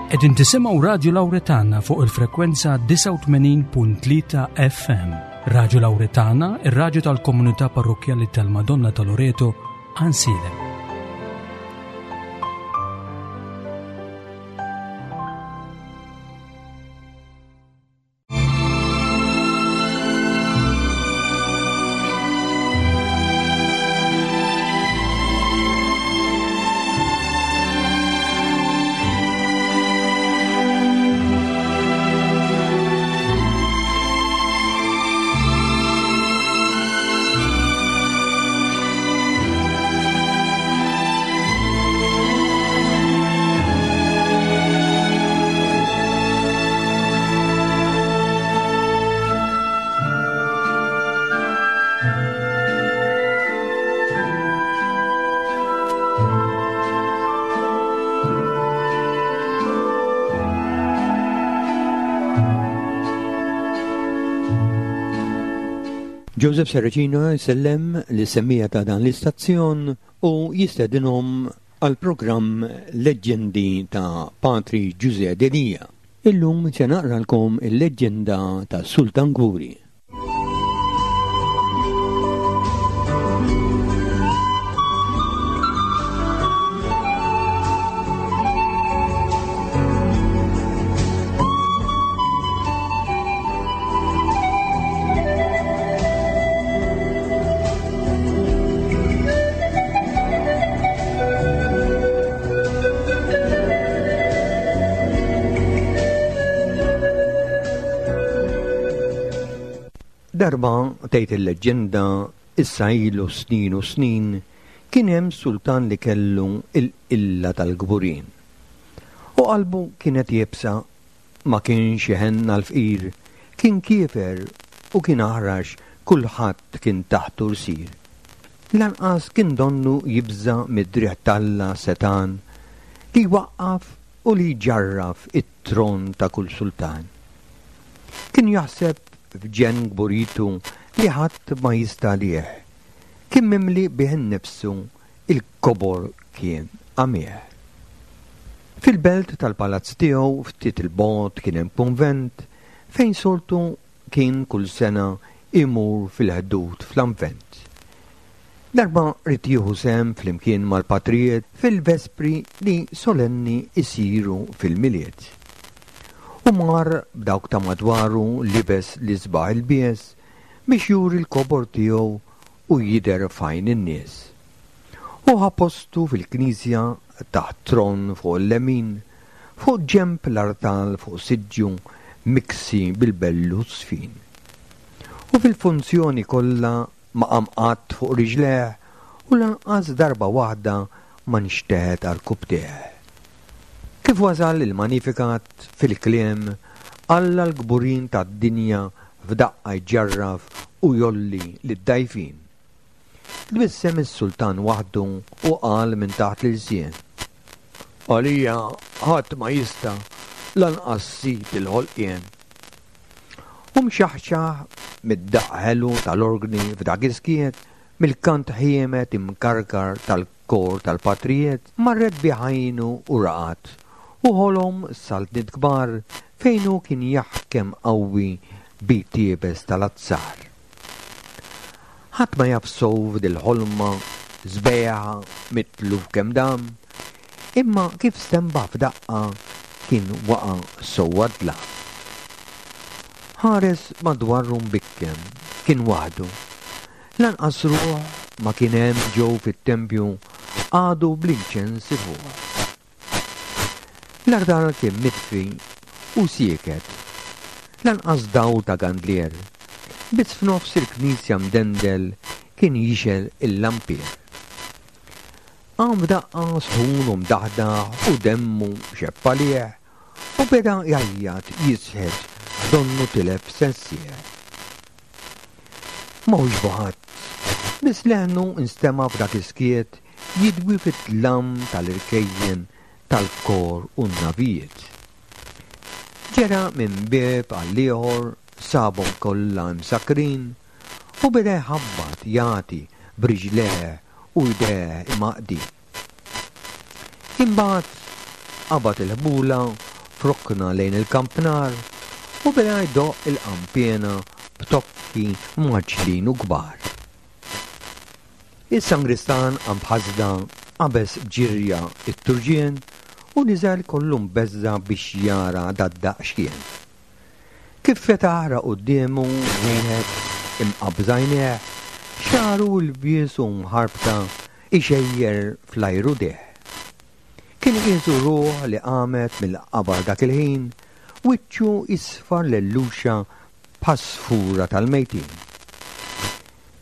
Qegħdin tisimgħu Radju Lawretana fuq il-frekwenza 89.3 FM. Radju Lawretana, ir-radju tal-komunità parrokkjali tal-Madonna ta' Loreto, Ansilem. Joseph Serracino jsellem lis-semmiegħa ta' dan l-istazzjon u jistedinhom għall-programm Leġġendi ta' Patri Ġużè Delia. Illum se naqralkom il-leġġenda tas-Sultan Kburi. Darba, tgħid il-leġġenda, issa ilu snin u snin, kien hemm sultan li kellu l-qilla tal-kburin. U qalbu kienet iebsa Ma kienx iħenn għall-fqir, kien kiefer u kien aħrax kulħadd kien taħtu rsir. Lanqas kien donnu jibża' mid-driegħ t'Alla setgħan li jwaqqaf u li jġarraf it-tron ta' kull sultan. Kien jaħseb f'ġenn kburitu li ħadd ma jista' għalih, kien mimli bih innifsu Il-kobor kien għamih. Fil-belt tal-palazz tiegħu ftit 'il bogħod kien hemm kunvent fejn soltu kien kull sena jmur fil-Ħdud fl-Avvent. Darba ried jieħu sehem flimkien mal-patrijiet fil-vespri li solenni jsiru fil-Milied. U mar b'dawk ta' madwaru libes l-isbaħ ilbies biex juri l-kobor tiegħu u jidher f'għajn in-nies. Hu ħa postu fil-knisja taħt tron fuq il-lemin, fuq ġenb l-artal fuq siġġu miksi bil-bellu żfin. U fil-funzjoni kollha ma qam qatt fuq riġlejh u lanqas darba waħda ma nxteħet għarkupptejh. Kif wasal il-Magnificat fil-kliem, Alla l-kburin tad-dinja f'daqqa jġarraf u jgħolli lid-dgħajfin. Tbissem is-sultan waħdu u qal minn taħt l-ilsien, Għalija ħadd ma jista' lanqas Sid il-ħolqien. U mxaħxaħ mid-daqq ħelu tal-orgni f'dak is-skiet, mill-kant ħiemed imkarkar tal Kor tal-patrijiet marret bih għajnu u raqad, u ħolom saltniet kbar fejn hu kien jaħkem qawwi b'id iebes tal-azzar. Ħadd ma jaf sew f'dil-ħolma sbejħa mitluf kemm dam, imma kif stenbaħ f'daqqa kien waqa' sewwa d-dlam. Ħares madwaru mbikkem, kien waħdu. Lanqas ruħ ma kien hemm ġew fit-tempju qagħdu bl-inċens ifuħ. L-artal kien mitfi u sieket, lanqas dawl ta' gandlier, biss f'nofs il-knisja mdendel kien jixgħel il-lampier. Qam f'daqqa sħun u mdaħdaħ u demmu xebb għalih u beda jgħajjat jisħet donnu tilef sensieh. Ma wieġbu ħadd. Biss leħnu nstema' f'dak is-skiet jidwi fid-dlam tal-irkejjen tal-kor u n-navijiet. Ġera minn bieb għall-ieħor sabhom kollha imsakkrin u beda jħabbat jagħti b'riġlejh u jdejh imgħaqqdin. Imbagħad qabad il-ħbula. f'rokna lejn il-kampnar u beda jdoqq il-qanpiena b'tokki mgħaġġlin u kbar. Is-sangristan qam b'ħasda, qabeż b'ġirja t-turġien u niżel kollu mbeżża' biex jara dad-daqq x'kien. Kif fetaħ ra quddiemu wieħed imqabbż għajnejh, xagħru lbies u mħarbta ixejjer fl-ajru deh. Kien qiesu ruħ li qamet mill-qabar dak il-ħin, wiċċu isfar lelluxa bħas-sfura tal-mejtin.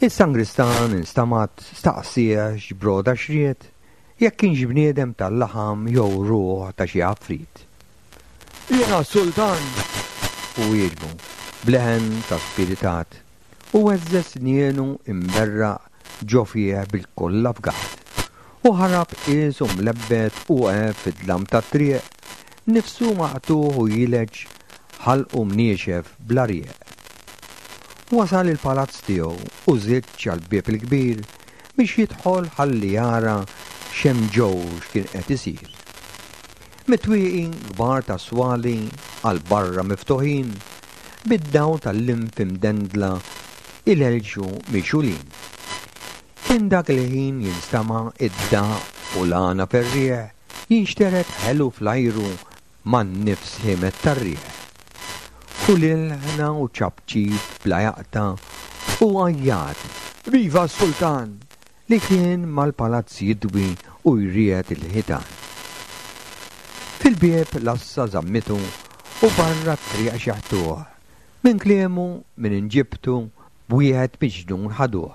Is-sangristan instamat staqsieh x'broda xriet, jekk kienx bniedem tal-laħam jew ruħ ta' xi għafrit. Jiena s-sultan! Hu wieġbu, b'leħen ta' spiritat. U heżżeż snienu imberraq ġo fih bil-koll afgat. U ħarab qiesu mlebbet u għeb fid-dlam tat-triq, nifsu maqtugħ u jileġ ħalqu mniexef bla rieq. Wasal il-palazz tiegħu u żiġġ għall-bieb il-kbir biex jidħol ħalli jara x'hemm ġew x'kien qed isir. Mit-twieqi kbar tas-swali għal barra miftuħin, bid-dawl tal-linfi mdendla ilelxu mixgħulin. Kien dak il-ħin jinstama' id-daqq u l-għana ferrieħ jinxtered ħelu fl-ajru man-nifs ħiemed tar-riħ. U l-ilħna u ċapċip bla jaqta' u għajjat, Viva s-Sultan! li kien mal-palazz jidwi u jriegħed il-ħitan. Fil-bieb l-għassa żammitu u barra t-triq xeħtuh, minn kliemu, minn inġibtu, b'wieħed miġnun ħaduh.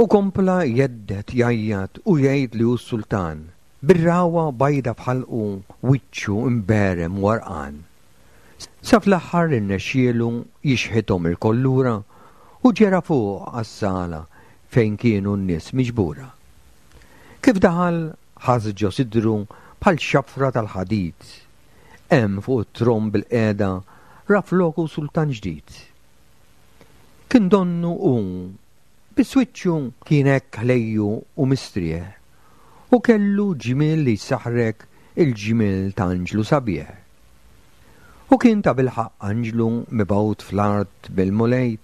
U kompla jhedded, jgħajjat u jgħid li hu s-sultan, bir-ragħwa bajda f'ħalqu, wiċċu mberem u għarqan. Sa fl-aħħar irnexxielu jixħithom ilkoll lura u ġera fuq għas-sala fejn kienu n-nies miġbura. Kif daħal ħass ġo sidru bħal xafra tal-ħadid. Hemm fuq it-tron bilqiegħda ra floku sultan ġdid. Kien donnu hu Biss wiċċu kien hekk ħlejju u mistrieħ, u kellu ġmiel li jsaħħrek il-ġmiel ta' anġlu sabiħ. U kien tabilħaqq anġlu mibgħut fl-art mill-Mulej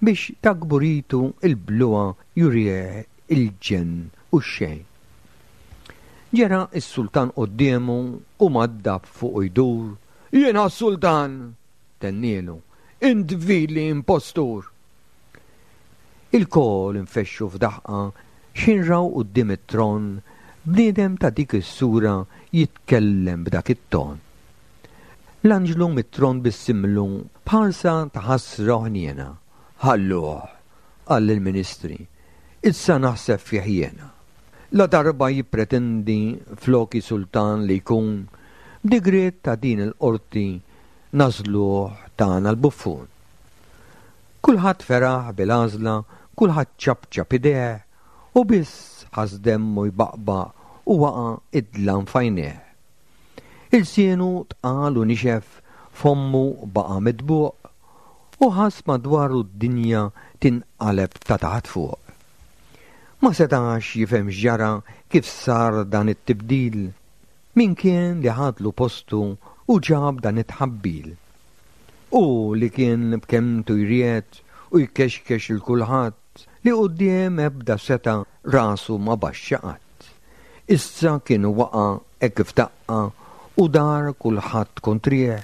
biex ta' kburitu l-bluha jurih il-ġenn u x-xejn. Ġera s-sultan quddiemu u maddab fuqu jdur, Jiena s-sultan! tennielu, Int vili impostur! Ilkoll infexxu f'daħqa x'ħin raw quddiem it-tron bniedem ta' dik is-sura jitkellem b'dak it-ton. L-anġlu mit-tron bissimlu b'ħarsa ta' ħasra u ħniena. Ħalluh, qal lill-ministri, issa naħseb fih jiena. Ladarba jippretendi floki sultan li jkun, b'digriet ta' din il-qorti nagħżluh tagħna l-buffun. Kulħadd feraħ bil-għażla, kulħadd ċapċap idejh, u biss ħass demmu jbaqbaq u waqa' id-dlam f'għajnejh. Ilsienu tqal u nixef, fommu baqa' mitbuq, u ħass madwaru d-dinja tinqaleb ta' taħt fuq. Ma setax jifhem x'ġara, kif sar dan it-tibdil, min kien li ħadlu postu u ġab dan it-tħabbil. Hu li kien b'kelmtu jriegħed u jkexkex 'il kulħadd, li quddiem ebda setgħa rasu ma baxxa qatt. Issa kien waqa' hekk f'daqqa u dar kulħadd kontrih,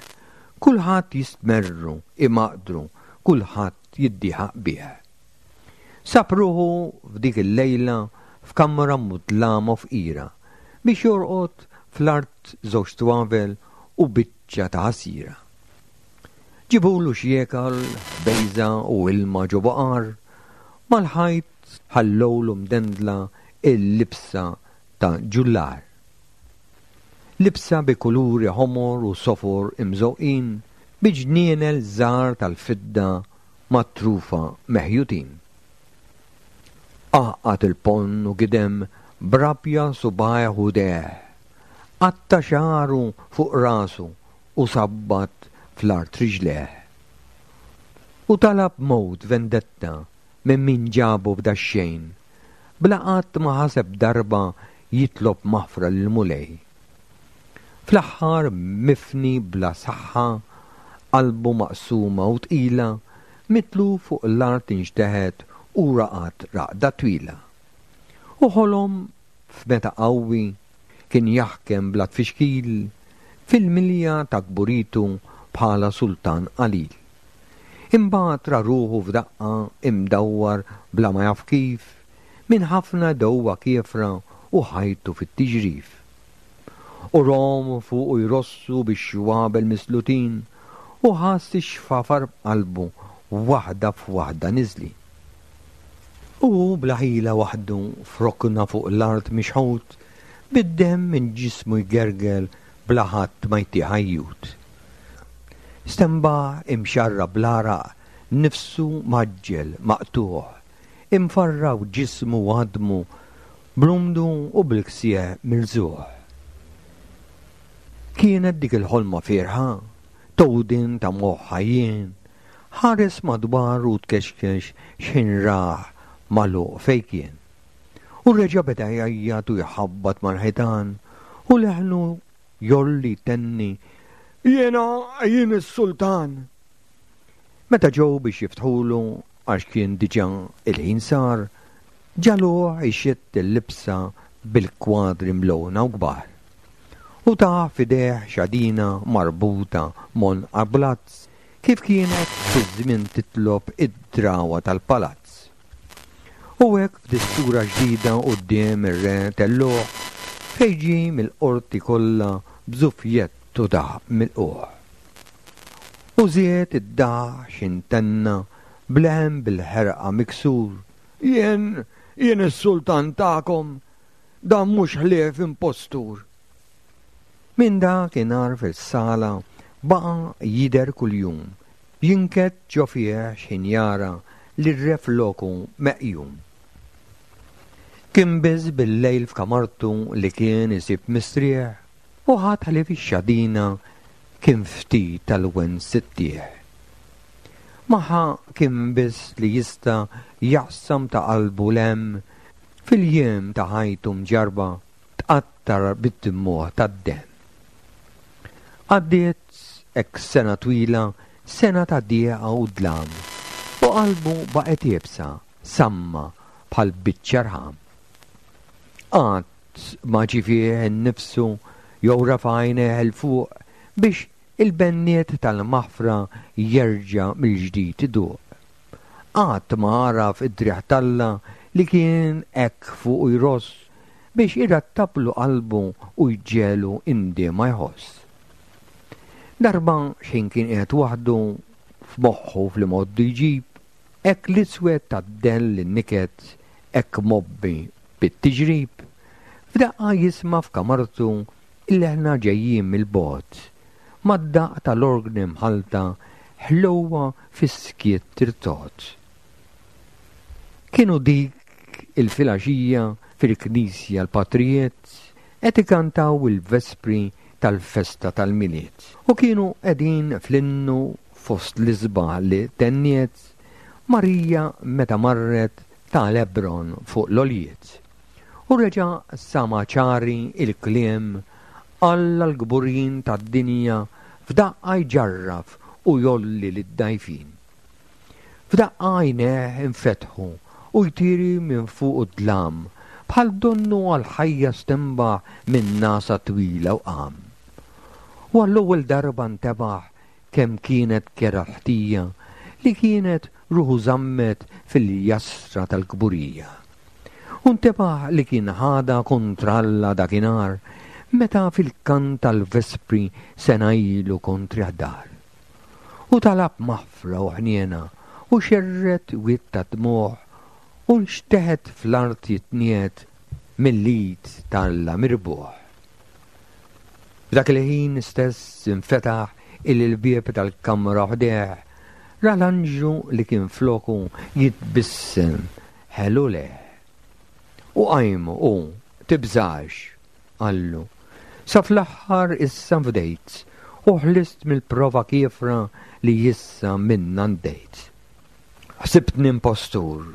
kulħadd jistmerru, imaqdru, kulħadd jiddieħaq bih. Sab ruħu f'dik il-lejla f'kamra mudlama u fqira, biex jorqod fl-art żewġ twavel u biċċa ta' ħasira. Ġibulu x'jiekal, ħbejża u ilma ġo baqar, mal-ħajt ħallewlu mdendla l-libsa ta' ġullar. Libsa bi kuluri ħomor u sofor imżewqin bi ġnienel żgħar tal-fidda mat-trufa meħjutin. Għaqqad il-ponn u gidem b'rabja subgħajh u jdejh. Qatta' xagħru fuq rasu u sabbat fl-art riġlejh. U talab mewt vendetta minn min ġabu f'dax-xejn, bla qatt ma ħaseb darba jitlob maħfra lill-Mulej. Fl-aħħar mifni bla saħħa, qalbu maqsuma u tqila, mitluf fuq l-art inxteħet u raqad raqda twila. U ħolom f'meta qawwi kien jaħkem bla tfixkil fil-milja ta' kburitu bħala sultan qalil. Imbagħad ra ruħu f'daqqa imdawwar bla ma jaf kif minn ħafna dewwa kiefra u ħajtu fit-tiġrif. U rom fuqu jrossu bix-xwabel mislutin u ħass ix-xfafar b'qalbu waħda f'waħda niżlin. U hu bla ħila waħdu f'rokna fuq l-art mixħut, bid-demm minn ġismu jgerger bla ħadd ma jtih għajjut. Stenbaħ imxarrab bl-għaraq, nifsu mgħaġġel, maqtugħ, imfarrak ġismu u għadmu, bl-umdu u bil-ksieħ mirżugħ. Kienet dik il-ħolma fierħa, tgħudin ta' moħħ għajjien, Ħares madwaru u tkexkex x'ħin rah magħluq fejn kien. U reġa' beda jgħajjat u jħabbat mal-ħitan u leħnu jgħolli jtenni, Jiena jien is-sultan! Meta ġew biex jiftħulu għax kien diġà il-ħin sar, ġagħluh ixidd il-libsa bil-kwadri mlewna u kbar. U tah f'idejh xadina marbuta m'għonqha b'lazz Kif kienet fiż-żmien titlob id-drawwa tal-palazz. U hekk f'distura ġdida quddiem ir-re tellugħ fejn ġie mill-qorti kollha b'żufjett u daħq milqugħ. U żied id-daħq x'intenna b'leħen bil-ħerqa miksur, Jien, jien is-sultan tagħkom, dan mhux ħlief impostur. Minn dak inhar fis-sala baqa' jidher kuljum, jinkedd ġo fih x'ħin jara lir-re floku meqjum. Kien biss bil-lejl f'kamartu li kien isib mistrieħ u ħadd ħlief ix-xadina kien ftit tal-wens ittih. Magħha kien biss li jista' jaqsam ta' qalbu l-hemm fil-jiem ta' ħajtu mġarrba tqattar bid-dmugħ tad-demm. Għaddiet hekk sena twila, sena ta' dieqa u dlam, u qalbu baqgħet iebsa, samma bħal biċċa rħam. Qatt ma ġie fih innifsu jew rafa' għajnejh 'il fuq biex il-benniet tal-maħfra jerġa' mill-ġdid iduq. Qatt ma għaraf id-driegħ t'Alla li kien hekk fuqu jross biex irattablu qalbu u jġegħlu indiema jħoss. Darba x'ħin kien qiegħed waħdu f'moħħu fl-imgħoddi jġib, hekk l-iswed tad-dell in-niket hekk mgħobbi bit-tiġrib, f'daqqa jisma' f'kamartu l-leħna ġejjin mill-bogħod, mad-daqq tal-orgni mħallta ħlewwa fis-skiet tirtogħod. Kienu dik il-filgħaxija fil-knisja l-patrijiet qed ikantaw il-vespri tal-festa tal-Milied u kienu qegħdin fl-innu fost l-isbaħ li tenniet Marija meta marret ta' Hebron fuq l-għoljiet. U reġa' sama' ċari l-kliem Alla l-kburin tad-dinja f'daqqa jġarraf u jgħolli lid-dgħajfin. F'daqqa għajnejh infetħu u jtiri minn fuqu d-dlam bħal donnu għall-ħajja stenbaħ minn nagħsa twila u qam. U għall-ewwel darba ntebaħ kemm kienet kerha l-ħtija li kienet ruħu żammet fil-jasra tal-kburija. U ntebaħ li kien ħadha kontra Alla dakinhar meta fil-kant tal-vespri sena ilu kontrih dar. U talab maħfra u ħniena u xerred wied ta' dmugħ u nxteħet fl-art jitniegħed mill-id ta' Alla mirbuħ. F'dak il-ħin stess infetaħ il-bieb tal-kamra ħdejh, ra l-anġlu li kien floku jitbissem ħelu lejh. U qajmu u, tibżax, qallu, sa fl-aħħar issa nfdejt u ħlist mill-prova kiefra li issa minnha ndejt. Ħsibtni impostur.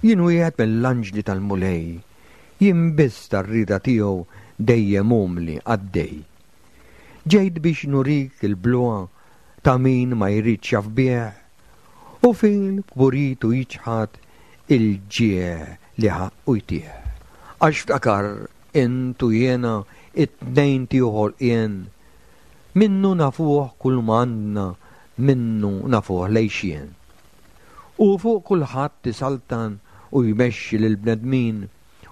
Jien wieħed mill-anġli tal-Mulej. Jien biss tar-rieda tiegħu dejjem umli qaddej. Ġejt biex nurik il-bluha ta' min ma jridx jaf bih, u fil-kburitu jiċħad il-ġieħ li ħaqqu jtih. Għax ftakar int u jiena it-tnejn tiegħu ħolqien, minnu nafuh kull ma għandna, minnu nafuh l-għixien. Hu fuq kulħadd isaltan u jmexxi lill-bnedmin,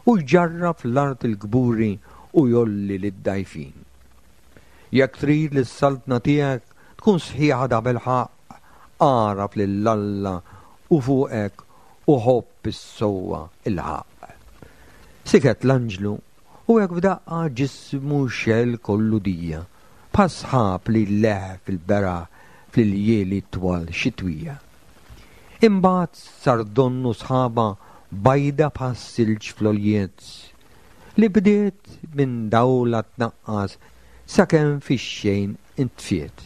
u jġarrab fl-art il-kburi u jgħolli lid-dgħajfin. Jekk trid li s-saltna tiegħek tkun sħiħa tabilħaqq, agħraf lil Alla u fuqek u ħobb is-sewwa il-ħaqq. Siket l-anġlu u hekk f'daqqa ġismu xegħel kollu dija, bħas-sħab li jleħħ fil-beraħ fl-iljieli twal xitwija. Imbagħad sar donnu sħaba bajda bħas-silġ fl-għoljiet, li bdiet minn dawlha tnaqqas sakemm fix-xejn intfiet.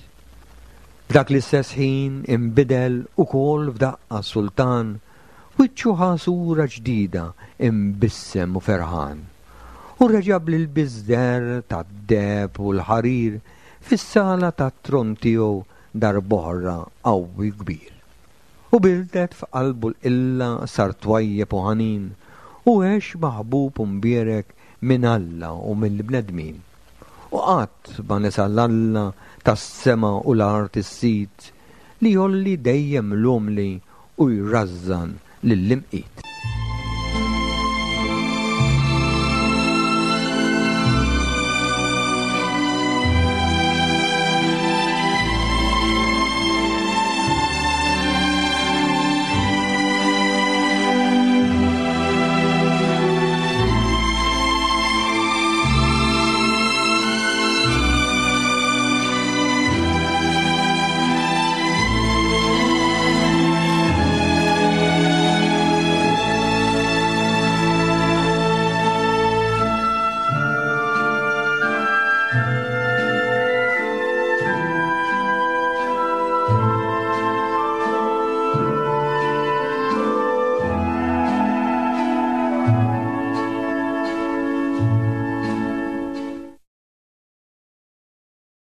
F'dak l-istess ħin inbidel ukoll f'daqqa s-sultan, wiċċu ħa sura ġdida imbissem u ferħan. U reġa' bl-ilbies deher tad-deheb u l-ħarir fis-sala tat-tron tiegħu darb'oħra qawwi kbir. U birdet f'qalbu l-qilla sar twajjeb u ħanin, u għex maħbub u mbierek minn Alla u mill-bnedmin. U qatt ma nesa 'l Alla tas-sema u l-art is-Sid, li jgħolli dejjem l-umli u jrażżan lill-imqit.